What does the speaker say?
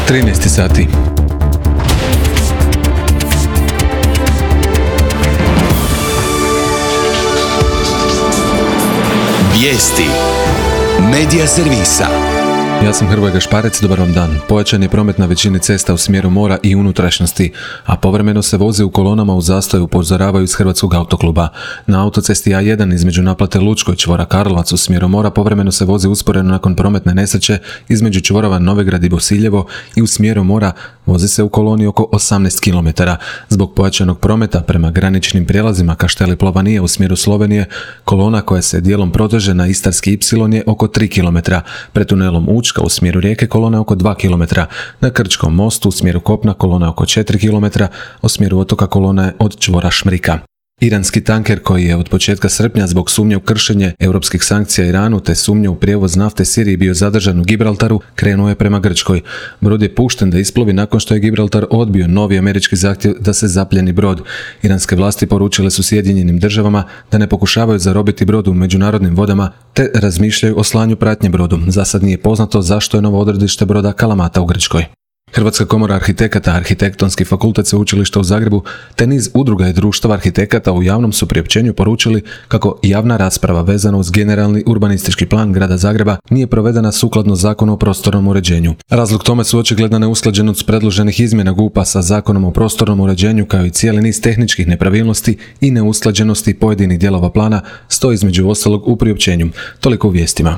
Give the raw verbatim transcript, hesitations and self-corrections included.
trinaest sati. Vijesti Medija servisa. Ja sam Hrvoje Gašparec, dobar vam dan. Pojačan je promet na većini cesta u smjeru mora i unutrašnjosti, a povremeno se voze u kolonama u zastoju, upozoravaju iz Hrvatskog autokluba. Na autocesti A jedan između naplate Lučko i čvora Karlovac u smjeru mora povremeno se vozi usporeno nakon prometne nesreće između čvorova Novigrad i Bosiljevo i u smjeru mora vozi se u koloni oko osamnaest kilometara. Zbog pojačanog prometa prema graničnim prijelazima Kašteli Plovanije u smjeru Slovenije, kolona koja se dijelom proteže na Istarski Y je oko tri kilometra. Pred tunelom Učka u smjeru Rijeke kolona oko dva kilometra. Na Krčkom mostu u smjeru kopna kolona oko četiri kilometra, u smjeru otoka kolona je od čvora Šmrika. Iranski tanker koji je od početka srpnja zbog sumnje u kršenje europskih sankcija Iranu te sumnje u prijevoz nafte Siriji bio zadržan u Gibraltaru, krenuo je prema Grčkoj. Brod je pušten da isplovi nakon što je Gibraltar odbio novi američki zahtjev da se zapljeni brod. Iranske vlasti poručile su Sjedinjenim državama da ne pokušavaju zarobiti brod u međunarodnim vodama te razmišljaju o slanju pratnje brodu. Za sad nije poznato zašto je novo odredište broda Kalamata u Grčkoj. Hrvatska komora arhitekata, Arhitektonski fakultet Sveučilišta u Zagrebu te niz udruga i društava arhitekata u javnom su priopćenju poručili kako javna rasprava vezana uz generalni urbanistički plan grada Zagreba nije provedena sukladno Zakonu o prostornom uređenju. Razlog tome su očigledna neusklađenost predloženih izmjena G U P-a sa Zakonom o prostornom uređenju kao i cijeli niz tehničkih nepravilnosti i neusklađenosti pojedinih dijelova plana, stoji između ostalog u priopćenju. Toliko u vijestima.